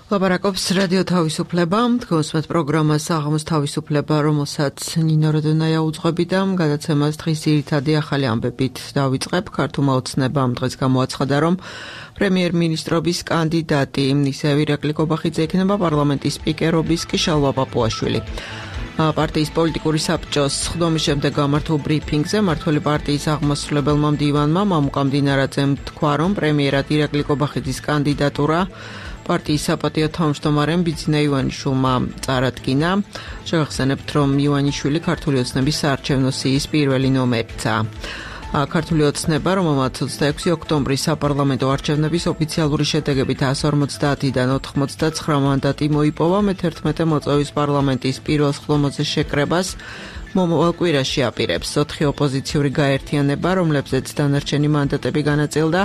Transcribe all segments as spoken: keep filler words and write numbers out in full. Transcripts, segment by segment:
ლაპარაკობს რადიო თავისუფლება, თქვენს პროგრამას საღამოს თავისუფლება, რომელსაც ნინო როდონაია უძღვები და გადაცემას დღის ძირითადი ახალი ამბებით დავიწყებ. ქართულმა ოცნებამ დღეს გამოაცხადა, რომ პრემიერ-მინისტრობის კანდიდატი ისევ ირაკლი კობახიძე იქნება, პარლამენტის სპიკერობის კი შალვა პაპუაშვილი. პარტიის პოლიტიკური საბჭოს ხდომის შემდეგ გამართულ ბრიფინგზე მმართველი პარტიის აღმასრულებელმა მდივანმა მამუკა მდინარაძემ თქვა, რომ პრემიერად ირაკლი კობახიძის კანდიდატურა პარტიის საპატიო თავმჯდომარემ ბიძინა ივანიშვილმა წარადგინა. შევახსენებთ, რომ ივანიშვილი ქართული ოცნების საარჩევნო სიის პირველი ნომერია. ქართული ოცნება, რომელმაც ოცდაექვსი ოქტომბრის საპარლამენტო არჩევნების ოფიციალური შედეგებით εκατს ორმოცდაათიდან ოთხმოცდაცხრა მანდატი მოიპოვა, მეთერთმეტე მოწვევის პარლამენტის პირველ სხდომაზე შეკრებას მომავალ კვირაში აპირებს. ოთხი ოპოზიციური გაერთიანება, რომლებზეც დანარჩენი მანდატები განაწილდა,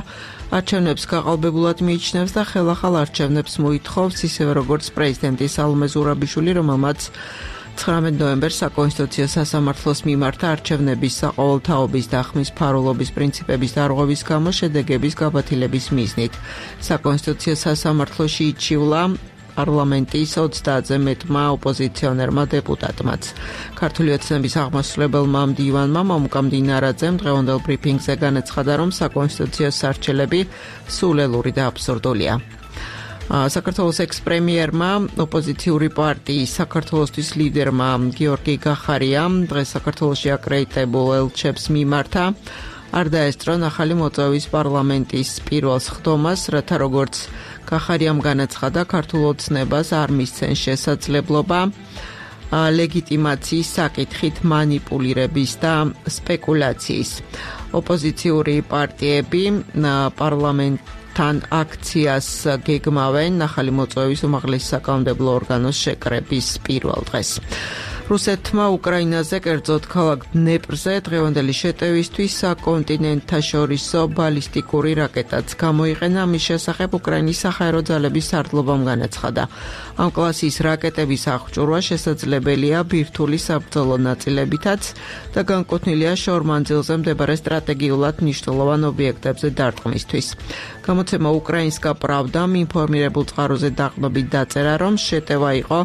არჩევნებს გაყალბებულად მიიჩნევს და ხელახალ არჩევნებს მოითხოვს, ისევე როგორც პრეზიდენტი სალომე ზურაბიშვილი, რომელმაც ცხრამეტ ნოემბერს საკონსტიტუციო სასამართლოს მიმართა არჩევნების საყოველთაობის და ხმის ფარულობის პრინციპების დარღვევის გამო შედეგების გაბათილების მიზნით. საკონსტიტუციო სასამართლოში იჩივლა პარლამენტის ოცდაათზე მეტმა ოპოზიციონერმა დეპუტატმაც. ქართული ოცნების აღმასრულებელმა მდივანმა მამუკა მდინარაძემ დღევანდელ ბრიფინგზე განაცხადა, რომ საკონსტიტუციო სარჩელები სულელური და აბსურდულია. საქართველოს ექს-პრემიერმა, ოპოზიციური პარტიის საქართველოსთვის ლიდერმა გიორგი გახარიამ დღეს საქართველოში აკრედიტებულ ელჩებს მიმართა არ დაესწრო ახალი მოწვევის პარლამენტის პირველ სხდომას, რათა როგორც გახარიამ განაცხადა, ქართულ ოცნებას არ მისცენ შესაძლებლობა ლეგიტიმაციის საკითხით მანიპულირების და სპეკულაციის. ოპოზიციური პარტიები პარლამენტ თან აქციას გეგმავენ ახალი მოწვევის უმაღლესი საკანონმდებლო ორგანოს შეკრების პირველ დღეს. რუსეთმა უკრაინაზე, კერძოდ ქალაქ დნეპრზე დღევანდელი შეტევისთვის საკონტინენტთაშორისო ბალისტიკური რაკეტაც გამოიყენა. ამის შესახებ უკრაინის საჰაერო ძალების სარდლობამ განაცხადა. ამ კლასის რაკეტების აღჭურვა შესაძლებელია ბირთვული საბრძოლო ნაწილებითაც და განკუთვნილია შორ-მანძილზე მდებარე სტრატეგიულად მნიშვნელოვან ობიექტებზე დარტყმისთვის. გამოცემა უკრაინსკა პრავდამ ინფორმირებულ წყაროზე დაყრდნობით დაწერა, რომ შეტევა იყო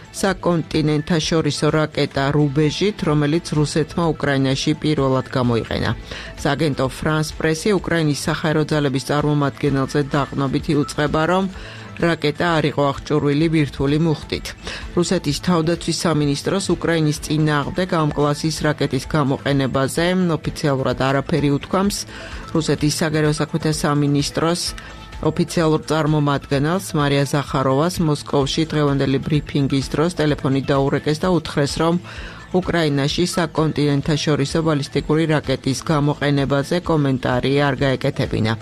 საკონტინენტთაშორისო რაკეტა რუბეჟით, რომელიც რუსეთმა უკრაინაში პირველად გამოიყენა. სააგენტო ფრანს პრესი უკრაინის საჰაერო ძალების წარმომადგენელზე დაყრდნობით იუწყება, რომ რაკეტა არ იყო აღჭურვილი ბირთვული მუხტით. რუსეთის თავდაცვის სამინისტროს უკრაინის წინააღმდეგ ამ კლასის რაკეტის გამოყენებაზე ოფიციალურად არაფერი უთქვამს. რუსეთის საგარეო საქმეთა სამინისტროს ოფიციალურ წარმომადგენელს მარია ზახაროვას მოსკოვში დღევანდელი ბრიფინგის დროს ტელეფონით დაურეკეს და უთხრეს, რომ უკრაინაში საკონტინენტთაშორისო ბალისტიკური რაკეტის გამოყენებაზე კომენტარი არ გაეკეთებინა.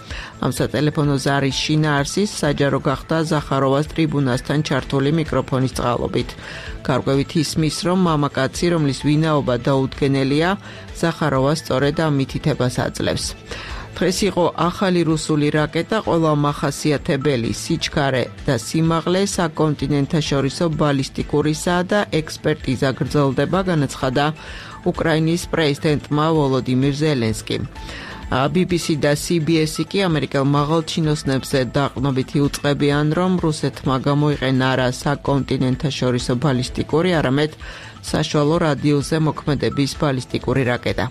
ამ სატელეფონო ზარის შინაარსის საჯარო გახდა ზახაროვას ტრიბუნასთან ჩართული მიკროფონის წყალობით. გარკვევით ისმის, რომ მამაკაცი, რომლის ვინაობა დაუდგენელია, ზახაროვა სწორედ ამ მითითებას აძლევს. დღეს იყო ახალი რუსული რაკეტა, ყველა მახასიათებელი სიჩქარე და სიმაღლე საკონტინენტთაშორისო ბალისტიკურისა და ექსპერტიზა გრძელდება, განაცხადა უკრაინის პრეზიდენტმა ვოლოდიმირ ზელენსკიმ. ბი ბი სი და სი ბი ესი კი ამერიკელ მაღალჩინოსნებზე დაყრდნობით იუწყებიან, რომ რუსეთმა გამოიყენა არა საკონტინენტთაშორისო ბალისტიკური, არამედ საშუალო რადიუსზე მოქმედების ბალისტიკური რაკეტა.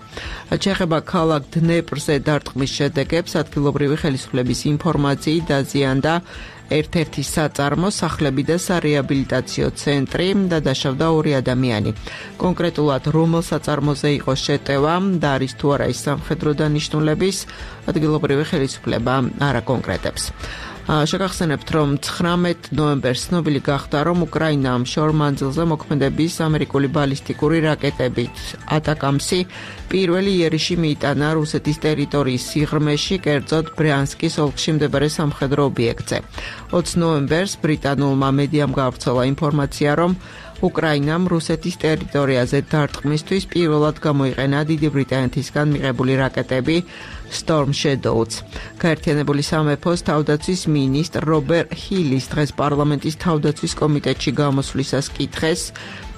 შეეხება ქალაქ დნეპრზე დარტყმის შედეგებს, ადგილობრივი ხელისუფლების ინფორმაციით დაზიანდა ერთ-ერთი საწარმო, სახლები და სარეაბილიტაციო ცენტრი და დაშავდა ორი ადამიანი. კონკრეტულად რომელ საწარმოზე იყო შეტევა და არის თუ არა ის სამხედრო დანიშნულების, ადგილობრივი ხელისუფლება არ აკონკრეტებს. შეგახსენებთ, რომ ცხრამეტ ნოემბერს ცნობილი გახდა, რომ უკრაინამ შორ-მანძილზე მოქმედების ამერიკული ბალისტიკური რაკეტებით ატაკამსი პირველი იერიში მიიტანა რუსეთის ტერიტორიის სიღრმეში, კერძოდ ბრიანსკის ოლქში მდებარე სამხედრო ობიექტზე. ოცი ნოემბერს ბრიტანულმა მედიამ გაავრცელა ინფორმაცია, რომ უკრაინამ რუსეთის ტერიტორიაზე დარტყმისთვის პირველად გამოიყენა დიდი ბრიტანეთისგან მიღებული რაკეტები Storm Shadows. გაერთიანებული სამეფოს თავდაცვის მინისტრ რობერტ ჰილის დღეს პარლამენტის თავდაცვის კომიტეტში გამოსვლისას კითხეს,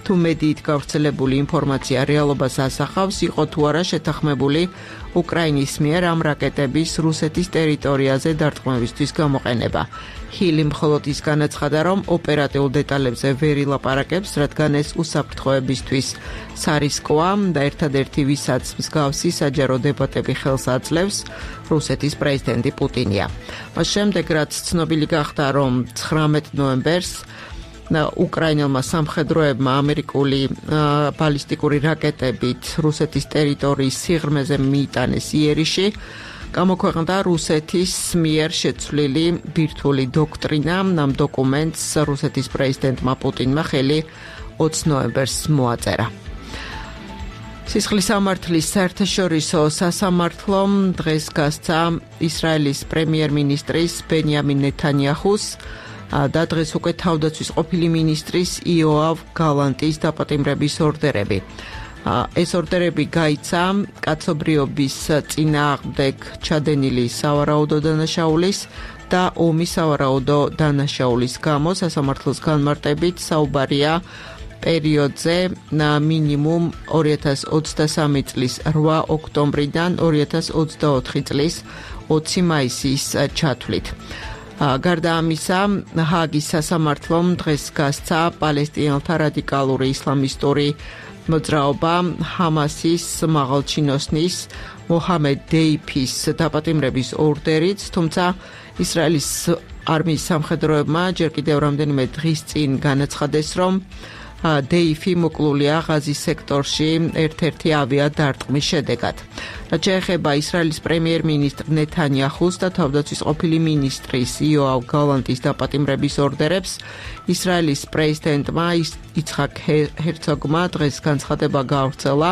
თუ მედიით გავრცელებული ინფორმაცია რეალობას ასახავს, იყო თუ არა შეთანხმებული უკრაინის მიერ ამ რაკეტების რუსეთის ტერიტორიაზე დარტყმებისთვის გამოყენება. ჰილი მხოლოდ ის განაცხადა, რომ ოპერატიულ დეტალებზე ვერ ილაპარაკებს, რადგან ეს უსაფრთხოებისთვის სარისკოა და ერთადერთი ვისაც მსგავსი საჯარო დებატები ხელს აძლევს, რუსეთის პრეზიდენტი პუტინია. მას შემდეგ, რაც ცნობილი გახდა, რომ ცხრამეტ ნოემბერს უკრაინელმა სამხედროებმა ამერიკული ბალისტიკური რაკეტებით რუსეთის ტერიტორიის სიღრმეზე მიიტანეს იერიში, გამოქვეყნდა რუსეთის მიერ შეცვლილი ბირთვული დოქტრინა. ამ დოკუმენტს რუსეთის პრეზიდენტმა პუტინმა ხელი ოცი ნოემბერს მოაწერა. სისხლის სამართლის საერთაშორისო სასამართლომ დღეს გასცა ისრაელის პრემიერ-მინისტრის ბენიამინ ნეთანიაჰუს და დღეს უკვე თავდაცვის ყოფილი მინისტრის იოავ გალანტის დაპატიმრების ორდერები. ეს ორდერები გაიცა კაცობრიობის წინააღმდეგ ჩადენილი სავარაუდო დანაშაულის და ომის სავარაუდო დანაშაულის გამო სასამართლოს განმარტებით საუბარია პერიოდზე მინიმუმ ორი ათას ოცდასამი წლის რვა ოქტომბრიდან ორი ათას ოცდაოთხი წლის ოცი მაისის ჩათვლით. გარდა ამისა, ჰააგის სასამართლომ დღეს გასცა პალესტინელთა რადიკალური ისლამისტური მოძრაობა ჰამასის მაღალჩინოსნის მოჰამედ დეიფის დაპატიმრების ორდერიც, თუმცა ისრაელის არმიის სამხედროებმა ჯერ კიდევ რამდენიმე დღის წინ განაცხადეს, რომ დეიფი მოკლულია ღაზის სექტორში ერთ-ერთი ავიადარტყმის შედეგად. რაც შეეხება ისრაელის პრემიერ-მინისტრ ნეთანიაჰუს და თავდაცვის ყოფილი მინისტრის იოავ გალანტის დაპატიმრების ორდერებს, ისრაელის პრეზიდენტმა იცხაკ ჰერცოგმა დღეს განცხადება გაავრცელა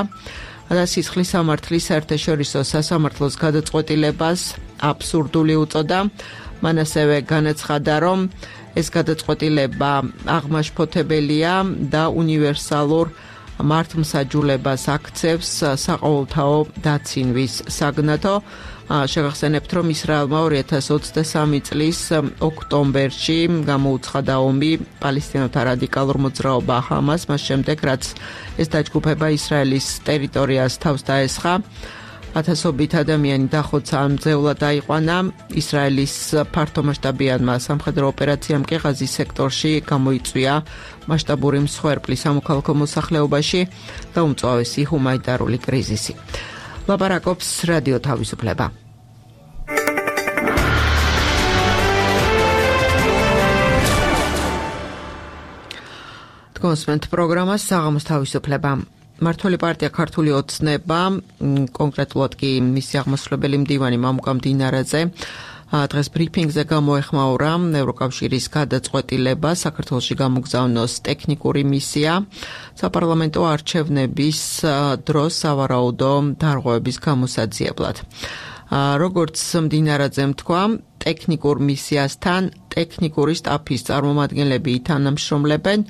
და სისხლის სამართლის საერთაშორისო სასამართლოს გადაწყვეტილებას აბსურდული უწოდა. მან ასევე განაცხადა, რომ ეს გადაწყვეტილება აღმაშფოთებელია და უნივერსალურ მართლმსაჯულებას აქცევს საყოველთაო დაცინვის საგნათო. შეგახსენებთ, რომ ისრაელმა ორი ათას ოცდასამი წლის ოქტომბერში გამოუცხადა ომი პალესტინელთა რადიკალურ მოძრაობა ჰამას, მას შემდეგ, რაც ეს დაჯგუფება ისრაელის ტერიტორიას თავს დაესხა. ათასობით ადამიანი დახოცა ამ მძევლად დაიყვანა. ისრაელის ფართომასშტაბიანმა სამხედრო ოპერაციამ კი ღაზის სექტორში გამოიწვია მასშტაბური მსხვერპლი სამოქალაქო მოსახლეობაში და უმწვავესი ჰუმანიტარული კრიზისი. ლაპარაკობს რადიო თავისუფლება. თქვენს პროგრამას საღამოს თავისუფლება. მართული პარტია ქართული ოცნება, კონკრეტულად კი მისი აღმასრულებელი მდივანი მამუკა მდინარაძე დღეს ბრიფინგზე გამოეხმაურა ევროკავშირის გადაწყვეტილება საქართველოში გამოგზავნოს ტექნიკური მისია საპარლამენტო არჩევნების დროს სავარაუდო დარღვევების გამოსაძიებლად. როგორც მდინარაძემ თქვა, ტექნიკურ მისიასთან ტექნიკური სტაფის წარმომადგენლები ითანამშრომლებენ,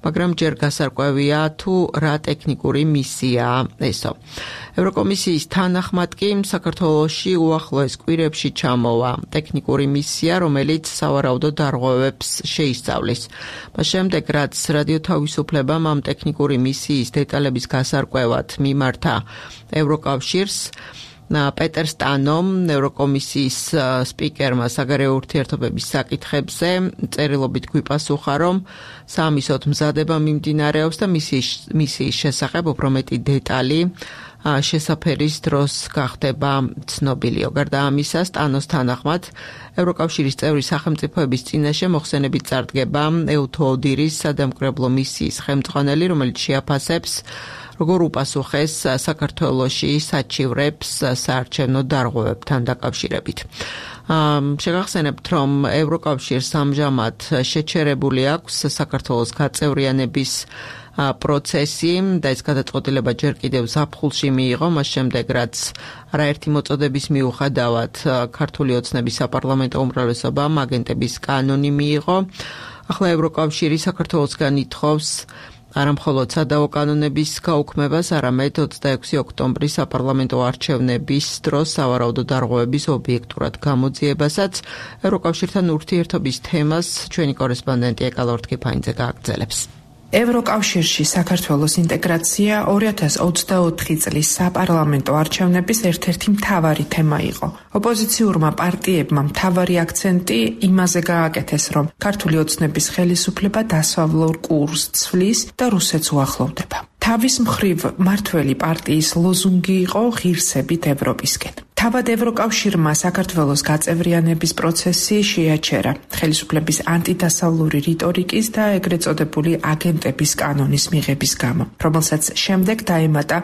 მაგრამ ჯერ გასარკვევია თუ რა ტექნიკური მისიაა ესო. ევროკომისიის თანახმად კი საქართველოში უახლოეს კვირებში ჩამოვა ტექნიკური მისია, რომელიც სავარაუდო დარღვევებს შეისწავლის. მას შემდეგ, რაც რადიო თავისუფლებამ ამ ტექნიკური მისიის დეტალების გასარკვევად მიმართა ევროკავშირს, პეტერ სტანომ, ევროკომისიის სპიკერმა საგარეო ურთიერთობების საკითხებზე წერილობით გვიპასუხა, რომ საამისოდ მზადება მიმდინარეობს და მისიის შესახებ უფრო მეტი დეტალი შესაფერის დროს გახდება ცნობილიო. გარდა ამისა, სტანოს თანახმად, ევროკავშირის წევრი სახელმწიფოების წინაშე მოხსენებით წარდგება ეუთოდირის სადამკვირვებლო მისიის ხელმძღვანელი, რომელიც შეაფასებს როგორ უპასუხეს საქართველოში საჩივრებს საარჩევნო დარღვევებთან დაკავშირებით. შეგახსენებთ, რომ ევროკავშირს ამჟამად შეჩერებული აქვს საქართველოს გაწევრიანების პროცესი და ეს გადაწყვეტილება ჯერ კიდევ ზაფხულში მიიღო, მას შემდეგ, რაც არაერთი მოწოდების მიუხედავად ქართული ოცნების საპარლამენტო უმრავლესობამ აგენტების კანონი მიიღო. ახლა ევროკავშირი საქართველოსგან ითხოვს არა მხოლოდ სადავო კანონების გაუქმებას, არამედ ოცდაექვსი ოქტომბრის საპარლამენტო არჩევნების დროს სავარაუდო დარღვევების ობიექტურად გამოძიებასაც. ევროკავშირთან ურთიერთობის თემას ჩვენი კორესპონდენტი ეკალორ თქიფანიძე გააგრძელებს. ევროკავშირში საქართველოს ინტეგრაცია ორი ათას ოცდაოთხი წლის საპარლამენტო არჩევნების ერთ-ერთი მთავარი თემა იყო. ოპოზიციურმა პარტიებმა მთავარი აქცენტი იმაზე გააკეთეს, რომ ქართული ოცნების ხელისუფლება დასავლურ კურსს ცვლის და რუსეთს უახლოვდება. თავის მხრივ მართველი პარტიის ლოზუნგი იყო ღირსებით ევროპისკენ. თავად ევროკავშირმა საქართველოს გაწევრიანების პროცესი შეაჩერა ხელისუფლების ანტიდასავლური რიტორიკის და ეგრეთ წოდებული აგენტების კანონის მიღების გამო, რომელსაც შემდეგ დაემატა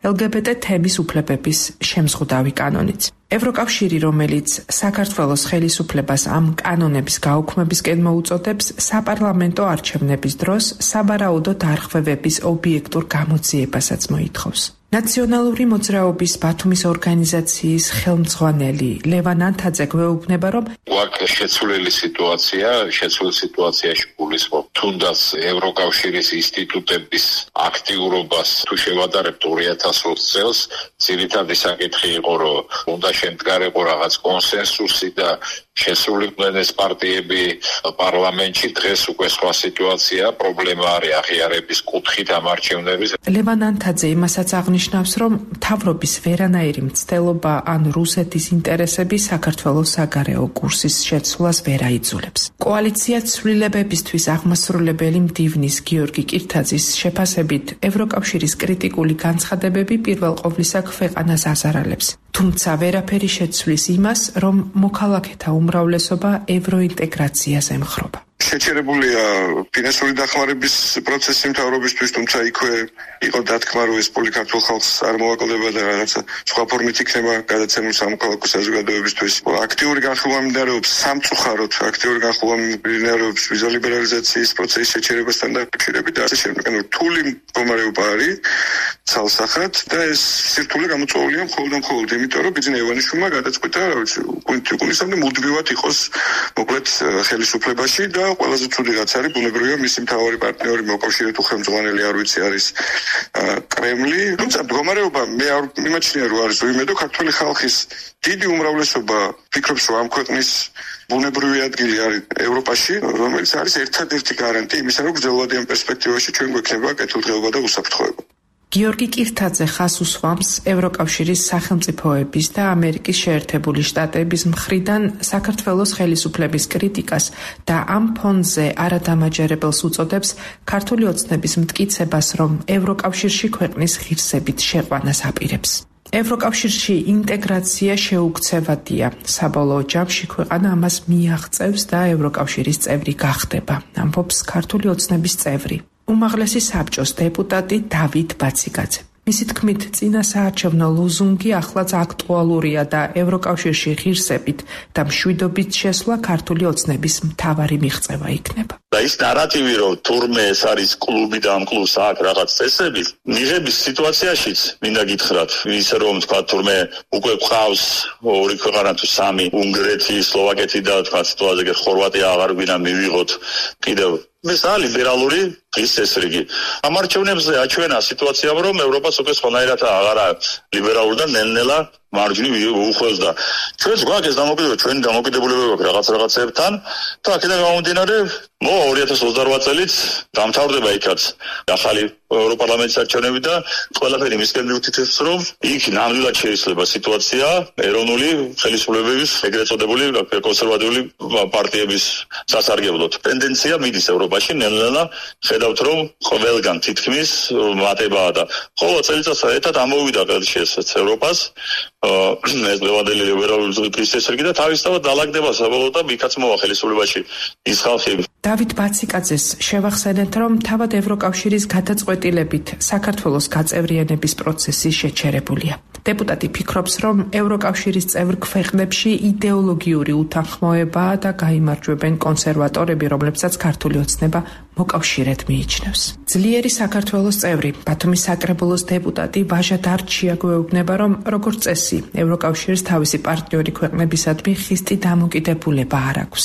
ელ გი ბი ტი თემის უფლებების შემზღუდავი კანონიც. ევროკავშირი, რომელიც საქართველოს ხელისუფლებას ამ კანონების გაუქმებისკენ მოუწოდებს, საპარლამენტო არჩევნების დროს საბარაუდო დარღვევების ობიექტურ გამოძიებასაც მოითხოვს. ნაციონალური მოძრაობის ბათუმის ორგანიზაციის ხელმძღვანელი ლევან ანთაძე გვეუბნება, რომ გვაქვს შეცვლილი სიტუაცია, შეცვლილ სიტუაციაში გულისხმობ თუნდაც ევროკავშირის ინსტიტუტების აქტიურობას თუ შევადარებთ ორი ათას ოცი წელს, ძირითადი საკითხი იყო, რომ უნდა შემდგარიყო რაღაც კონსენსუსი და შესულიყვნენ ეს პარტიები პარლამენტში. დღეს უკვე სხვა სიტუაცია, პრობლემა არის აღიარების კუთხით ამ არჩევნების. ლევან ანთაძე იმასაც აღნიშნავს, რომ მთავრობის ვერანაირი მცდელობა ან რუსეთის ინტერესები საქართველოს საგარეო კურსის შეცვლას ვერ აიძულებს. კოალიცია ცვლილებებისთვის აღმასრულებელი მდივნის გიორგი კირთაძის შეფასებით, ევროკავშირის კრიტიკული განცხადებები პირველ ყოვლისა ქვეყანას აზარალებს. თუმცა ვერაფერი შეცვლის იმას, რომ მოქალაქეთა უმრავლესობა ევროინტეგრაციას ემხრობა. შეჩერებულია ფინანსური დახმარების პროცესი მთავრობისთვის, თუმცა იქვე იყო დათქმა, რომ ეს პოლიქართულ ხალხს არ მოაკლდება და რაღაცა სხვა ფორმით იქნება გადაცემული სამოქალაქო საზოგადოებისთვის. აქტიური განხილვა მიმდინარეობს სამწუხაროდ, აქტიური განხილვა მიმდინარეობს ვიზა ლიბერალიზაციის პროცესის შეჩერებასთან დაკავშირებით და ასე შემდეგ. ანუ რთული მდგომარეობა არის ცალსახად და ეს სირთულე გამოწვეულია მხოლოდ და მხოლოდ იმიტომ, რომ ბიძინა ივანიშვილმა გადაწყვიტა, რა ვიცი, უკუნისამდე მუდმივად იყოს მოკლედ ხელისუფლებაში და ყველაზე ცუდი რაც არის, ბუნებრივია მისი მთავარი პარტნიორი მოკავშირე თუ ხელმძღვანელი არ ვიცი არის კრემლი. თუმცა მდგომარეობა მე არ მიმაჩნია, რომ არის უიმედო. ქართული ხალხის დიდი უმრავლესობა ფიქრობს, რომ ამ ქვეყნის ბუნებრივი ადგილი არის ევროპაში, რომელიც არის ერთადერთი გარანტი იმისა, რომ გრძელვადიან პერსპექტივაში ჩვენ გვექნება კეთილდღეობა და უსაფრთხოება. გიორგი კირთაძე ხაზს უსვამს ევროკავშირის სახელმწიფოების და ამერიკის შეერთებული შტატების მხრიდან საქართველოს ხელისუფლების კრიტიკას და ამ ფონზე არადამაჯერებელს უწოდებს ქართული ოცნების მტკიცებას, რომ ევროკავშირში ქვეყნის ღირსებით შეყვანას აპირებს. ევროკავშირში ინტეგრაცია შეუქცევადია. საბოლოო ჯამში ქვეყანა ამას მიაღწევს და ევროკავშირის წევრი გახდება, ამბობს ქართული ოცნების წევრი, უმაღლესი საბჭოს დეპუტატი დავით ბაციკაძე. მისი თქმით, წინა საარჩევნო ლოზუნგი ახლაც აქტუალურია და ევროკავშირში ღირსებით და მშვიდობით შესვლა ქართული ოცნების მთავარი მიღწევა იქნება. და ის ნარატივი, რომ თურმე ეს არის კლუბი და ამ კლუბს აქვს რაღაც წესები, მიღების სიტუაციაშიც მინდა გითხრათ, ისე რომ თქვა თურმე უკვე ყავს ორი ქვეყანა თუ სამი, უნგრეთი, სლოვაკეთი და თქვა სიტუაცია ხორვატია აღარ გვინდა მივიღოთ კიდევ ეს არის ლიბერალური ის წესრიგი. ამ არჩევნებზე აჩვენა სიტუაციამ, რომ ევროპას უკვე სხვანაირად აღარ აქვს ლიბერალური და ნელ-ნელა მარჯვნივ უხვევს და ჩვენს გვაქვს ეს დამოკიდებულება, ჩვენი დამოკიდებულებები გვაქვს რაღაც რაღაცებთან და აქედან გამომდინარე, მო ორი ათას ოცდაოთხ წელით დამთავრდება იქაც ახალი ევროპარლამენტის არჩევნები და ყველაფერი მისკენ მიუთითებს, რომ იქ ნამდვილად შეიძლება სიტუაცია ეროვნული ხელისუფლებების ეგრეთ წოდებული კონსერვატიული პარტიების სასარგებლოდ. ტენდენცია მიდის ევროპაში ნელ-ნელა ხედავთ, რომ ყველგან თითქმის მატებაა და ხოლო წელიწადს ერთად ამოვიდა ხელშესაც ევროპას ეს ლევანდელი ლიბერალური კრიზისები და თავისთავად დალაგდება საბოლოოდ და იქაც მოვა ხელისუფლებაში ის ხალხი. დავით ბაციკაძეს შევახსენეთ, რომ თავად ევროკავშირის გადაწყვეტილებით საქართველოს გაწევრიანების პროცესი შეჩერებულია. დეპუტატი ფიქრობს, რომ ევროკავშირის წევრ ქვეყნებში იდეოლოგიური უთანხმოებაა და გაიმარჯვებენ კონსერვატორები, რომლებსაც ქართული ოცნება მოკავშირედ მიიჩნევს. ძლიერი საქართველოს წევრი, ბათუმის საკრებულოს დეპუტატი ვაჟა დარჩია გვეუბნება, რომ როგორც წესი, ევროკავშირს თავისი პარტნიორი ქვეყნებისადმი ხისტი დამოკიდებულება არ აქვს.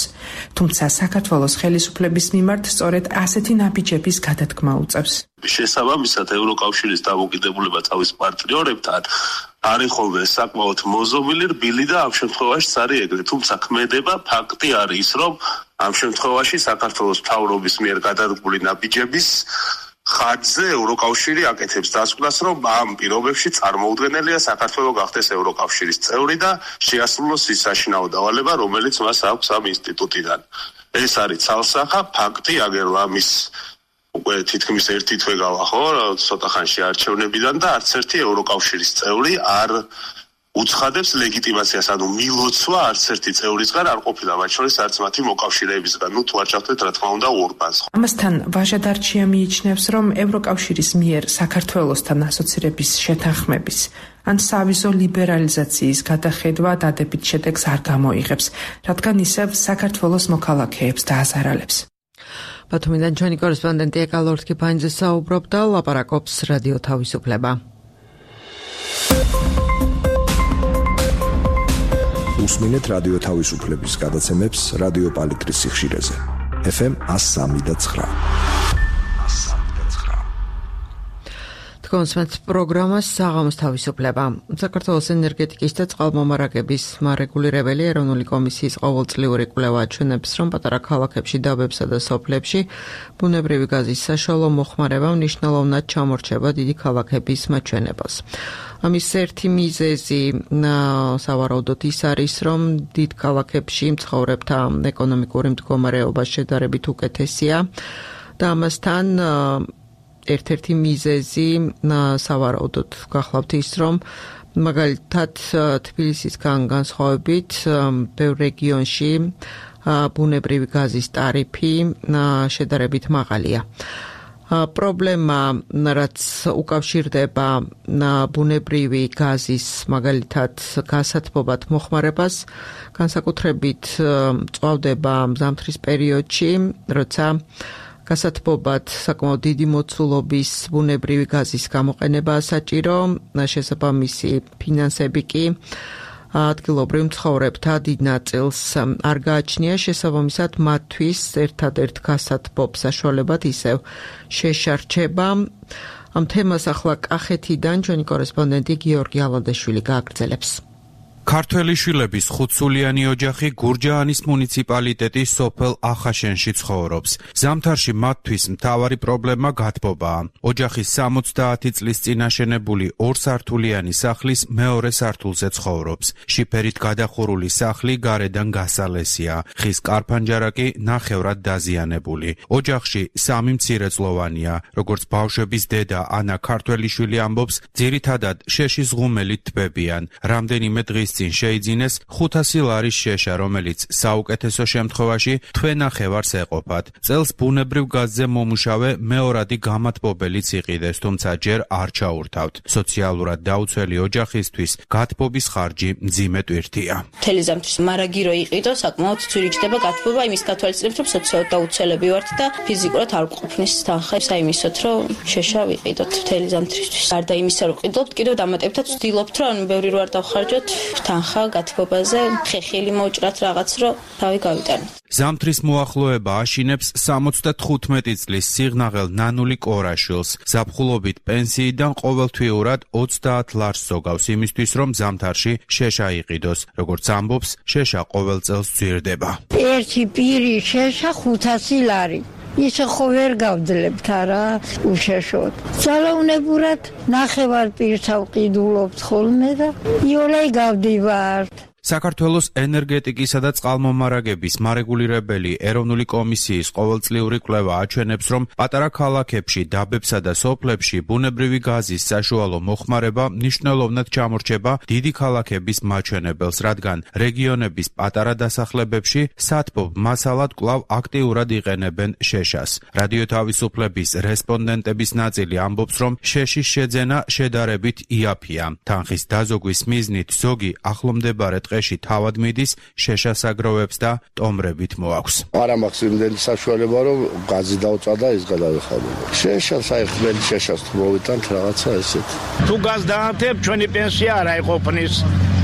თუმცა საქართველოს ხელისუფლების მიმართ სწორედ ასეთი ნაბიჯების გადადგმა უწევს. შესაბამისად, ევროკავშირის დამოკიდებულება თავის პარტნიორებთან არის ხოლმე საკმაოდ მოზობილი, რბილი და ამ შემთხვევაშიც არის ეგრე. თუმცა ქმედება ფაქტი არის ის, რომ ამ შემთხვევაში საქართველოს მთავრობის მიერ გადადგმული ნაბიჯების ხარჯზე ევროკავშირი აკეთებს დასკვნას, რომ ამ პირობებში წარმოუდგენელია საქართველო გახდეს ევროკავშირის წევრი და შეასრულოს ის საშინაო დავალება, რომელიც მას აქვს ამ ინსტიტუტიდან. ეს არის ცალსახა ფაქტი, აგერ ამის უკვე თითქმის ერთი თვე გავა, ხო, ცოტა ხანში არჩევნებიდან და არც ერთი ევროკავშირის წევრი არ უცხადებს ლეგიტიმაციას, ანუ მილოცვა არც ერთი წევრისგან არ ყოფილა, მათ შორის არც მათი მოკავშირეებისგან. ნუ თუ არ ჩავთვეთ, რა თქმა უნდა, ორბანს. ამასთან ვაჟა დარჩია მიიჩნევს, რომ ევროკავშირის მიერ საქართველოსთან ასოცირების შეთანხმების ან სავიზო ლიბერალიზაციის გადახედვა დადებით შედეგს არ გამოიღებს, რადგან ისევ საქართველოს მოქალაქეებს დააზარალებს. ბათუმიდან ჩვენი კორესპონდენტი ეკალორთ კიფანიძე საუბრობდა, ლაპარაკობს რადიო თავისუფლება. უსმინეთ რადიო თავისუფლების გადაცემებს რადიო პალიტრის სიხშირეზე. ეფ ემ one oh three point nine. თქვენს პროგრამას საღამოს თავისუფლება. საქართველოს ენერგეტიკის და წყალმომარაგების მარეგულირებელი ეროვნული კომისიის ყოველწლიური კვლევა აჩვენებს, რომ პატარა ქალაქებში, დაბებსა და სოფლებში ბუნებრივი გაზის საშუალო მოხმარება მნიშვნელოვნად ჩამორჩება დიდი ქალაქების მაჩვენებას. ამის ერთი მიზეზი სავარაუდოდ ის არის, რომ დიდ ქალაქებში მცხოვრებთა ეკონომიკური მდგომარეობა შედარებით უკეთესია და ამასთან ერთ-ერთი მიზეზი სავარაუდოდ გახლავთ ის, რომ მაგალითად თბილისისგან განსხვავებით ბევრ რეგიონში ბუნებრივი გაზის ტარიფი შედარებით მაღალია. პრობლემა, რაც უკავშირდება ბუნებრივი გაზის მაგალითად გასათბობად მოხმარებას, განსაკუთრებით მწვავდება ზამთრის პერიოდში, როცა გასათბობად საკმაოდ დიდი მოცულობის ბუნებრივი გაზის გამოყენებაა საჭირო, შესაბამისი ფინანსები კი ადგილობრივ მცხოვრებთა დიდ ნაწილს არ გააჩნია, შესაბამისად მათთვის ერთადერთ გასათბობ საშუალებად ისევ შეშარჩება. ამ თემას ახლა კახეთიდან ჩვენი კორესპონდენტი გიორგი ალადეშვილი გააგრძელებს. ქართველი შვილების ხუთსულიანი ოჯახი გურჯაანის მუნიციპალიტეტის სოფელ ახაშენში ცხოვრობს. ზამთარში მათთვის მთავარი პრობლემა გათბობაა. ოჯახის სამოცდაათი წლის წინ აშენებული ორსართულიანი სახლის მეორე სართულზე ცხოვრობს. შიფერით გადახურული სახლი გარედან გასალესია. ხის კარფანჯარა კი ნახევრად დაზიანებული. ოჯახში სამი მცირეწლოვანია. როგორც ბავშვების დედა ანა ქართველიშვილი ამბობს, ძირითადად შეშის ღუმელით თბებიან. რამდენიმე დღის წინ შეიძინეს ხუთასი ლარის შეშა, რომელიც საუკეთესო შემთხვევაში თვენახევარს ეყოფათ. წელს ბუნებრივ გაზზე მომუშავე მეორადი გამათბობელიც იყიდეს, თუმცა ჯერ არ ჩაურთავთ. სოციალურად დაუცველი ოჯახისთვის გათბობის ხარჯი მძიმე ტვირთია. მთელი ზამთრის მარაგი რო იყიდო, საკმაოდ ძვირიჭდება გათბობა, იმის გათვალისწინებთ, რომ სოციალურად დაუცველები ვართ და ფიზიკურად არ გვყოფნის თანხა საიმისოთ, რომ შეშა ვიყიდოთ მთელი ზამთრისთვის. გარდა იმისა, რომ ყიდულობთ, კიდევ დამატებითად ვცდილობთ, რომ ბევრი რო არ დავხარჯოთ თანხა გათბობაზე, ხეხილი მოუჭრათ რაღაც, რომ თავი გავიტანოთ. ზამთრის მოახლოება აშინებს სამოცდათხუთმეტი წლის სიღნაღელ ნანული კორაშვილს. ზაფხულობით პენსიიდან ყოველთვიურად ოცდაათ ლარს ზოგავს იმისთვის, რომ ზამთარში შეშა იყიდოს. როგორც ამბობს, შეშა ყოველ წელს ძვირდება. ერთი პირი შეშა ხუთასი ლარი. ისე ხო ვერ გავძლებთ არა უშეშოდ. ძალაუნებურად ნახევარ პირს ავყიდულობთ ხოლმე და იოლай გავდივართ. საქართველოს ენერგეტიკისა და წყალმომარაგების მარეგულირებელი ეროვნული კომისიის ყოველწლიური კვლევა აჩვენებს, რომ პატარა ქალაქებში, დაბებსა და სოფლებში ბუნებრივი გაზის საშუალო მოხმარება მნიშვნელოვნად ჩამორჩება დიდი ქალაქების მაჩვენებელს, რადგან რეგიონების პატარა დასახლებებში სათბობ მასალად კვლავ აქტიურად იყენებენ შეშას. რადიო თავისუფლების რესპონდენტების ნაწილი ამბობს, რომ შეშის შეძენა შედარებით იაფია. თანხის დაზოგვის მიზნით ზოგი ახლომდებარე ტყეში თავად მიდის, შეშას აგროვებს და ტომრებით მოაქვს. არ ამახს იმდენი საშუალება, რომ გაზი დავწვა და ის გადავიხადო. შეშას აი ხმელი შეშას თუ მოვიტანთ რაღაცა ესეთ. თუ გაზ დაანთებ, ჩვენი პენსია არ აიყოფნის.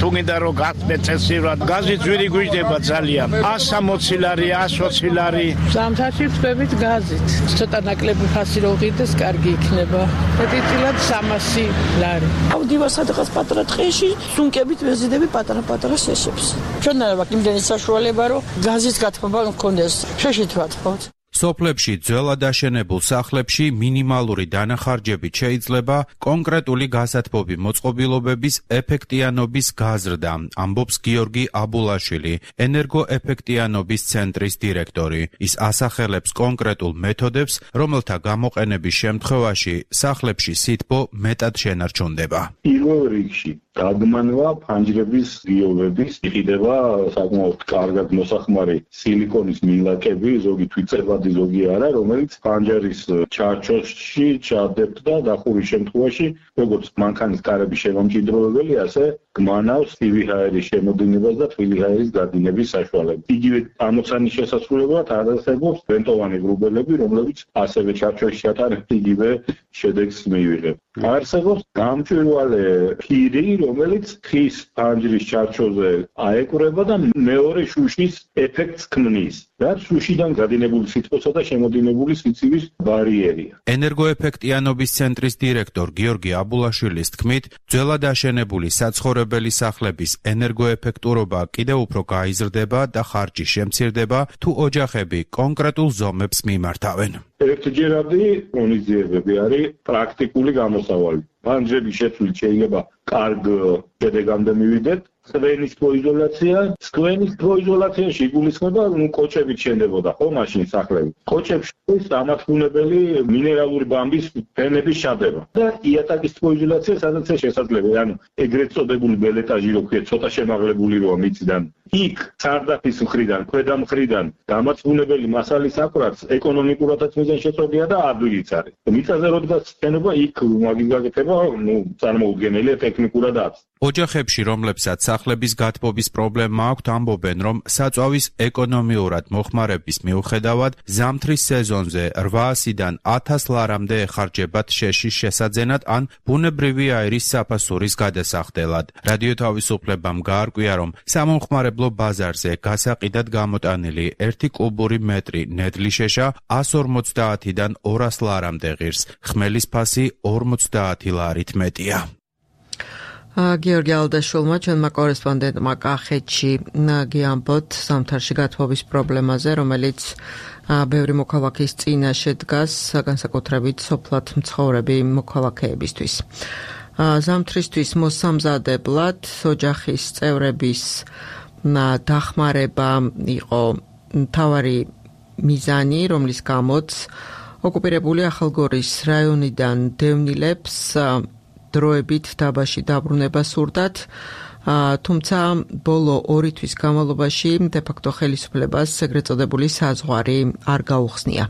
თუ გინდა რომ გახდეთ წესივრად გაზი ძვირი გვიждდება ძალიან one sixty ლარი one twenty ლარი ზამთარში ვწვევით გაზით ცოტა ნაკლები ფასი რო ღირდეს კარგი იქნება მეტიტილად three hundred ლარი ავდივა სადღაც პატარა ტყეში სუნკებით ვეზიდები პატარა-პატარა შეშებს ჩვენ არ ვაქვს იმდენი საშუალება რომ გაზის გათბობა მქონდეს შეშით ვათხოვთ სოფლებში ძველად აშენებულ სახლებში მინიმალური დანახარჯებით შეიძლება კონკრეტული გასათბობი მოწყობილობების ეფექტიანობის გაზრდა, ამბობს გიორგი აბულაშვილი, ენერგოეფექტიანობის ცენტრის დირექტორი. ის ასახელებს კონკრეტულ მეთოდებს, რომელთა გამოყენების შემთხვევაში სახლებში სითბო მეტად შენარჩუნდება. პირველ რიგში დაგმანვა ფანჯრების გიოვების იყიდება საკმაოდ კარგად მოსახმარი სილიკონის მილაკები, ზოგი თვიწებადი, ზოგი არა, რომელიც ფანჯრის ჩარჩოში ჩადებდა დახურის შემთხვევაში, როგორც მანქანის კარების შემომჭიდროვებელი, ასე გმანავს ცივი ჰაერის შემოდინებას და თბილი ჰაერის გადინების საშუალებას. იგივე ამოცანის შესასრულებლად არსებობს ვენტოვანი ღრუბელები, რომლებიც ასევე ჩარჩოში ჩატარებით იგივე შედეგს მიიღებს. არსებობს გამჭვირვალე ფირი, რომელიც ხის ფანჯრის ჩარჩოზე აეკვრება და მეორე შუშის ეფექტს ქმნის. რაც შუშიდან გადინებული სითბოსა და შემოდინებული სიცივის ბარიერია. ენერგოეფექტიანობის ცენტრის დირექტორ გიორგი აბულაშვილის თქმით, ძველად აშენებული საცხოვრებელი სახლების ენერგოეფექტურობა კიდევ უფრო გაიზრდება და ხარჯი შემცირდება, თუ ოჯახები კონკრეტულ ზომებს მიმართავენ. ერთჯერადი ღონისძიებები არის პრაქტიკული გამოსავალი. ფანჯრების შეცვლით შეიძლება კარგ შედეგამდე მივიდეთ. სკვენის პროიზოლაცია, სკვენის პროიზოლაციაში იგულისხმება, ნუ კოჭებით შენდებოდა ხო მაშინ სახლები. კოჭებში დამათბუნებელი მინერალური ბამბის ფენების ჩადება და იატაკის პროიზოლაცია სადაც შესაძლებელია, ანუ ეგრეთ წოდებული ბელეტაჟი რო ქვია, ცოტა შემაღლებული როა მიწიდან. იქ სარდაფის მხრიდან, ქვედა მხრიდან დამათბუნებელი მასალის აკვრაც ეკონომიკურადაც მიზანშეწონია და ადვილიც არის. მიწაზე როდესაც შენობა იქ მაგის გაკეთება, ნუ წარმოუდგენელია ტექნიკურადაც. ოჯახებში, რომლებსაც სახლების გათბობის პრობლემა აქვთ, ამბობენ, რომ საწვავის ეკონომიურად მოხმარების მიუხედავად ზამთრის სეზონზე რვაასიდან ათას ლარამდე ეხარჯებათ შეშის შესაძენად ან ბუნებრივი აირის საფასურის გადასახდელად. რადიო თავისუფლებამ გაარკვია, რომ სამომხმარებლო ბაზარზე გასაყიდად გამოტანილი ერთი კუბური მეტრი ნედლი შეშა one forty-დან ორას ლარამდე ღირს, ხმელის ფასი ორმოცდაათი ლარით მეტია. გიორგი ალდაშვილმა ჩვენმა კორესპონდენტმა კახეთში გიამბოთ ზამთარში გათბობის პრობლემაზე, რომელიც ბევრი მოქალაქის წინაშე დგას, განსაკუთრებით სოფლად მცხოვრები მოქალაქეებისთვის. ზამთრისთვის მოსამზადებლად ოჯახის წევრების დახმარება იყო მთავარი მიზანი, რომლის გამოც ოკუპირებული ახალგორის რაიონიდან დევნილებს დროებით დაბაში დაბრუნება სურდათ, თუმცა ბოლო ორი თვის განმავლობაში დე-ფაქტო ხელისუფლებას ეგრეთ წოდებული საზღვარი არ გაუხსნია.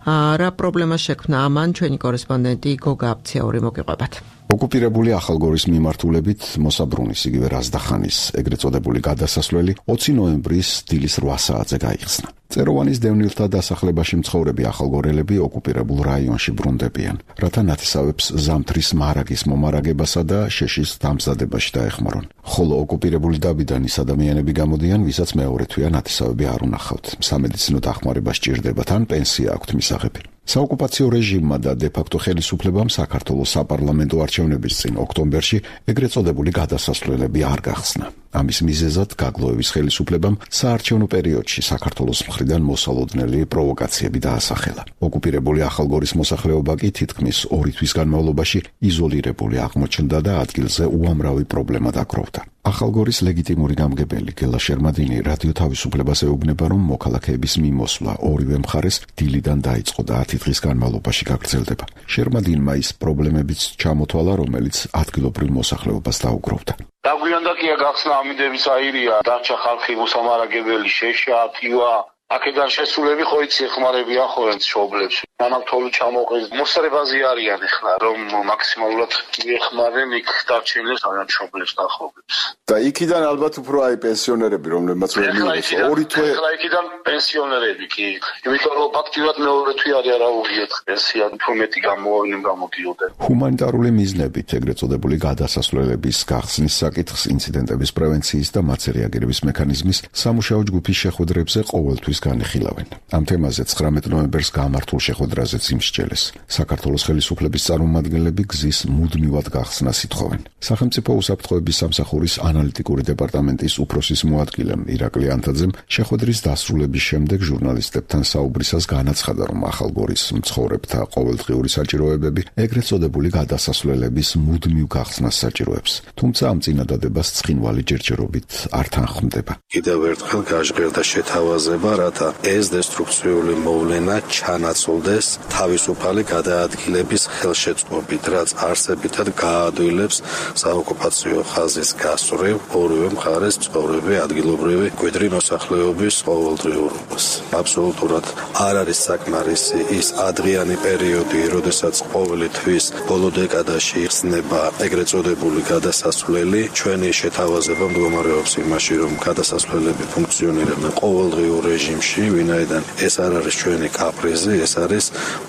რა პრობლემა შექმნა ამან, ჩვენი კორესპონდენტი გოგა აბციაური მოგიყვებათ. ოკუპირებული ახალგორის მიმართულებით მოსაბრუნის იგივე რაზდახანის ეგრეთ წოდებული გადასასვლელი ოცი ნოემბრის დილის რვა საათზე გაიხსნა. წეროვანის დევნილთა დასახლებაში მცხოვრები ახალგორელები ოკუპირებულ რაიონში ბრუნდებიან, რათა ნათესავებს ზამთრის მარაგის მომარაგებასა და შეშის დამზადებაში დაეხმარონ. ხოლო ოკუპირებული დაბიდან ის ადამიანები გამოდიან, ვისაც მეორე თვია ნათესავები არ უნახავთ. სამედიცინო დახმარება სჭირდებათ ან პენსია აქვთ მისაღები. საოკუპაციო რეჟიმმა და დე-ფაქტო ხელისუფლებამ საქართველოს საპარლამენტო არჩევნების წინ ოქტომბერში ეგრეთ წოდებული გადასასვლელები არ გახსნა. ამის მიზეზად გაგლოევის ხელისუფლებამ საარჩევნო პერიოდში საქართველოს მხრიდან მოსალოდნელი პროვოკაციები დაასახელა. ოკუპირებული ახალგორის მოსახლეობა კი თითქმის ორი თვის განმავლობაში იზოლირებული აღმოჩნდა და ადგილზე უამრავი პრობლემა დაგროვდა. ახალგორის ლეგიტიმური გამგებელი გელა შერმადინი რადიო თავისუფლებას ეუბნება, რომ მოქალაქეების მიმოსვლა ორივე მხარეს დილიდან დაიწყო და ათი დღის განმავლობაში გაგრძელდება. შერმადინმა ის პრობლემებიც ჩამოთვალა, რომელიც ადგილობრივ მოსახლეობას დაუგროვდა. დაგვიანდა კი გახსნა ამინდების აირია, დარჩა ხალხი მოსამარაგებელი, შეშა, თივა, აქედან შესულები ხო იცი ეხმარებიან ხო ერთ შობლებს. მამაკთოლი ჩამოყრის მოსრებაზე არიან ახლა რომ მაქსიმალურად მიეხმარენ იქ დარჩენილებს ან შობლებს და ხობლებს. და იქიდან ალბათ უფრო აი პენსიონერები რომლებმაც ვერ მიიღეს ორი თვე ახლა იქიდან პენსიონერები კი იმიტომ რომ ფაქტიურად მეორე თვე არის არაუღიეთ პენსია უფრო მეტი გამოვავდნენ გამოდიოდნენ. ჰუმანიტარული მიზნებით ეგრეთ წოდებული გადასასვლელების გახსნის საკითხს ინციდენტების პრევენციის და მათზე რეაგირების მექანიზმის სამუშაო ჯგუფის შეხვედრებზე ყოველთვის განიხილავენ. ამ თემაზე ცხრამეტ ნოემბერს გამართულ შეხვედრაზეც იმსჯელეს. საქართველოს ხელისუფლების წარმომადგენლები გზის მუდმივად გახსნას ითხოვენ. სახელმწიფო უსაფრთხოების სამსახურის ანალიტიკური დეპარტამენტის უფროსის მოადგილემ ირაკლი ანთაძემ შეხვედრის დასრულების შემდეგ ჟურნალისტებთან საუბრისას განაცხადა, რომ ახალგორის მცხოვრებთა ყოველდღიური საჭიროებები ეგრეთ წოდებული გადასასვლელების მუდმივ გახსნას საჭიროებს. თუმცა ამ წინადადებას ცხინვალი ჯერჯერობით არ თანხმდება. კიდევ ერთხელ გაჟღერდა შეთავაზება, რათა ეს დესტრუქციული მოვლენა ჩანაცვლდეს თავისუფალი გადაადგილების ხელშეწყობით, რაც არსებითად გაადვილებს საოკუპაციო ხაზის გასწვრივ ორივე მხარეს მცხოვრები ადგილობრივი მკვიდრი მოსახლეობის ყოველდღიურობას. აბსოლუტურად არ არის საკმარისი ის ადრიანი პერიოდი, როდესაც ყოველი თვის ბოლო დეკადაში იხსნება ეგრეთ წოდებული გადასასვლელი. ჩვენი შეთავაზება მდგომარეობს იმაში, რომ გადასასვლელები ფუნქციონირებენ ყოველდღიურ რეჟიმში, ვინაიდან ეს არ არის ჩვენი კაპრიზი, ეს არის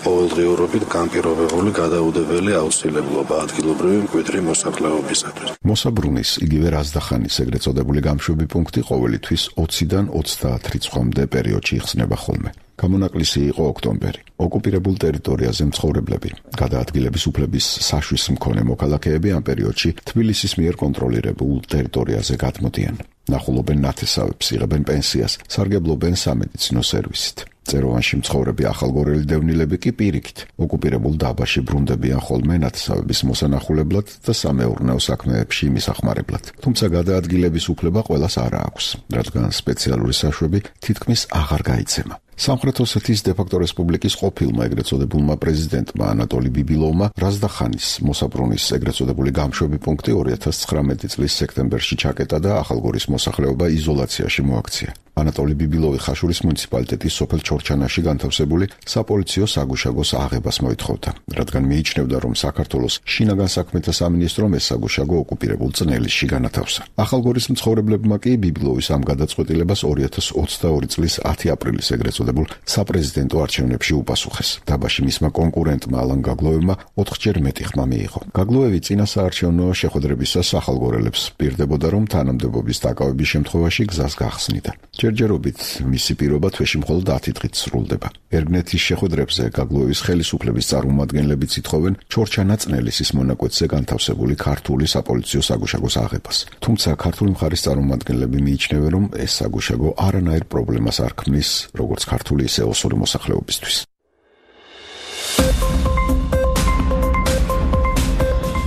ყოველდღიურობით განპირობებული გადაუდებელი აუცილებლობა ადგილობრივი მკვიდრი მოსახლეობისათვის. მოსაბრუნის იგივე რაზდახანის ეგრეთ წოდებული გამშვები პუნქტი ყოველი თვის ოციდან ოცდაათ რიცხვამდე პერიოდში იხსნება ხოლმე. გამონაკლისი იყო ოქტომბერი. ოკუპირებულ ტერიტორიაზე მცხოვრებლები, გადაადგილების უფლების საშვის მქონე მოქალაქეები ამ პერიოდში თბილისის მიერ კონტროლირებულ ტერიტორიაზე გადმოდიან. ნახულობენ ნათესავებს, იღებენ პენსიას, სარგებლობენ სამედიცინო სერვისით. წეროვანში მცხოვრები ახალგორელი დევნილები კი პირიქით ოკუპირებულ დაბაში ბრუნდებიან ხოლმე ნათესავების მოსანახულებლად და სამეურნეო საქმეებში მისახმარებლად. თუმცა გადაადგილების უფლება ყველას არ აქვს, რადგან სპეციალური საშვები თითქმის აღარ გაიცემა. სამხრეთ ოსეთის დე-ფაქტო რესპუბლიკის ყოფილმა ეგრეთ წოდებულმა პრეზიდენტმა ანატოლი ბიბილოვმა რაზდახანის მოსაბრუნის ეგრეთ წოდებული გამშვები პუნქტი ორი ათას ცხრამეტი წლის სექტემბერში ჩაკეტა და ახალგორის მოსახლეობა იზოლაციაში მოაქცია. ანატოლი ბიბილოვი ხაშურის მუნიციპალიტეტის სოფელ ჩორჩანაში განთავსებული საპოლიციო საგუშაგოს აღებას მოითხოვდა, რადგან მიიჩნევდა, რომ საქართველოს შინაგან საქმეთა სამინისტრომ ეს საგუშაგო ოკუპირებულ წნელისში განათავსა. ახალგორის მცხოვრებლებმა კი ბიბილოვის ამ გადაწყვეტილებას ორი ათას ოცდაორი წლის ათი აპრილის ეგრეთ წოდებულ საპრეზიდენტო არჩევნებში უპასუხეს. დაბაში მისმა კონკურენტმა ალან გაგლოევმა ოთხჯერ მეტი ხმა მიიღო. გაგლოევი წინა საარჩევნო შეხვედრებისას ახალგორელებს პირდებოდა, რომ თანამდებობის დაკავების შემთხვევაში გზას გახსნიდა. ჯერჯერობით მისი პირობა თვეში მხოლოდ ათი დღით სრულდება. ერგნეთის შეხვედრებზე გაგლოევის ხელისუფლების წარმომადგენლებიც ითხოვენ ჩორჩანა წნელისის მონაკვეთზე განთავსებული ქართული საპოლიციო საგუშაგოს აღებას. თუმცა ქართული მხარის წარმომადგენლები მიიჩნევენ, რომ ეს საგუშაგო არანაირ პრობლემას არ ქმნის როგორც ქართული ისე ოსური მოსახლეობისთვის.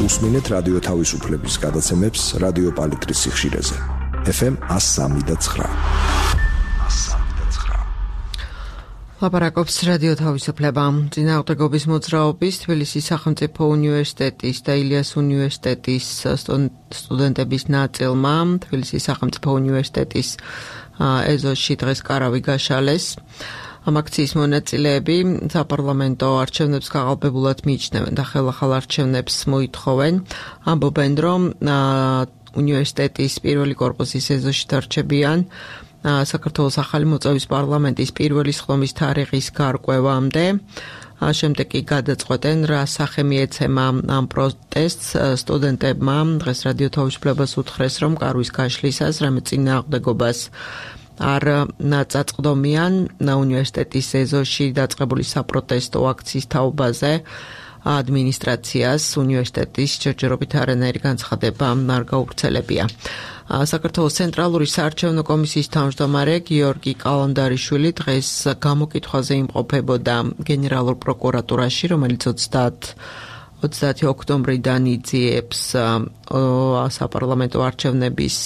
უსმინეთ რადიო თავისუფლების გადაცემებს რადიო პალიტრის სიხშირეზე. ეფ ემ one oh three point nine. ლაპარაკობს რადიო თავისუფლება. წინააღმდეგობის მოძრაობის თბილისის სახელმწიფო უნივერსიტეტის და ილიას უნივერსიტეტის სტუდენტების ნაწილმა თბილისის სახელმწიფო უნივერსიტეტის ეზოში დღეს კარავი გაშალეს. ამ აქციის მონაწილეები საპარლამენტო არჩევნებს გაყალბებულად მიიჩნევენ და ხელახალ არჩევნებს მოითხოვენ. ამბობენ, რომ უნივერსიტეტის პირველი კორპუსის ეზოში დარჩებიან საქართველოს ახალი მოწვევის პარლამენტის პირველი სხდომის თარიღის გარკვევამდე. შემდეგ კი გადაწყვეტენ, რა სახე მიეცემა ამ პროტესტს. სტუდენტებმა დღეს რადიო თავისუფლებას უთხრეს, რომ კარვის გაშლისას რამე წინააღმდეგობას არ წაწყდომიან უნივერსიტეტის ეზოში დაწყებული საპროტესტო აქციის თაობაზე. ადმინისტრაციას უნივერსიტეტის ჯერჯერობით არანაირი განცხადება არ გაუვრცელებია. საქართველოს ცენტრალური საარჩევნო კომისიის თავმჯდომარე გიორგი კალანდარიშვილი დღეს გამოკითხვაზე იმყოფებოდა გენერალურ პროკურატურაში, რომელიც ოცდაათი ოქტომბრიდან იძიებს საპარლამენტო არჩევნების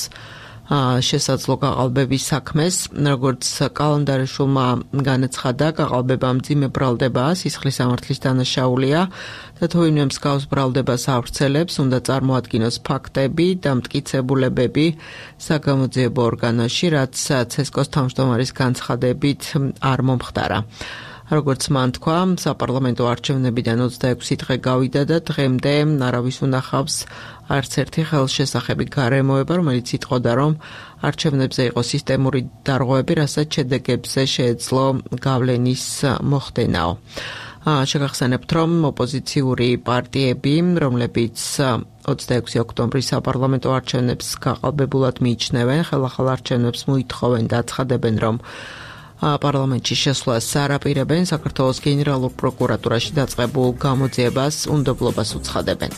შესაძლო გაყალბების საქმეს, როგორც კალანდარიშულმა განაცხადა, გაყალბება მძიმე ბრალდებაა, სისხლის სამართლის დანაშაულია და თუ ვინმე მსგავს ბრალდებას ავრცელებს, უნდა წარმოადგინოს ფაქტები და მტკიცებულებები საგამოძიებო ორგანოში, რაც ცესკოს თავმჯდომარის განცხადებით არ მომხდარა. როგორც მან თქვა, საპარლამენტო არჩევნებიდან ოცდაექვსი დღე გავიდა და დღემდე არავის უნახავს არც ერთი ხელშესახები გარემოება, რომელიც იტყოდა, რომ არჩევნებზე იყო სისტემური დარღვევები, რასაც შედეგებზე შეეძლო გავლენის მოხდენაო. შეგახსენებთ, რომ ოპოზიციური პარტიები, რომლებიც ოცდაექვსი ოქტომბრის საპარლამენტო არჩევნებს გაყალბებულად მიიჩნევენ, ხელახალ არჩევნებს მოითხოვენ და აცხადებენ, რომ პარლამენტში შესვლას არაპირებენ, საქართველოს გენერალურ პროკურატურაში დაწყებულ გამოძიებას უნდობლობას უცხადებენ.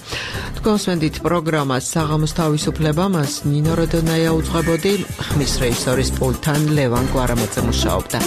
თქვენსვენდით პროგრამას საღამოს თავისუფლება, მას ნინო როდონაია უძღვებოდი, ხმის რეჟისორის პულტთან ლევან გვარამაძე მუშაობდა.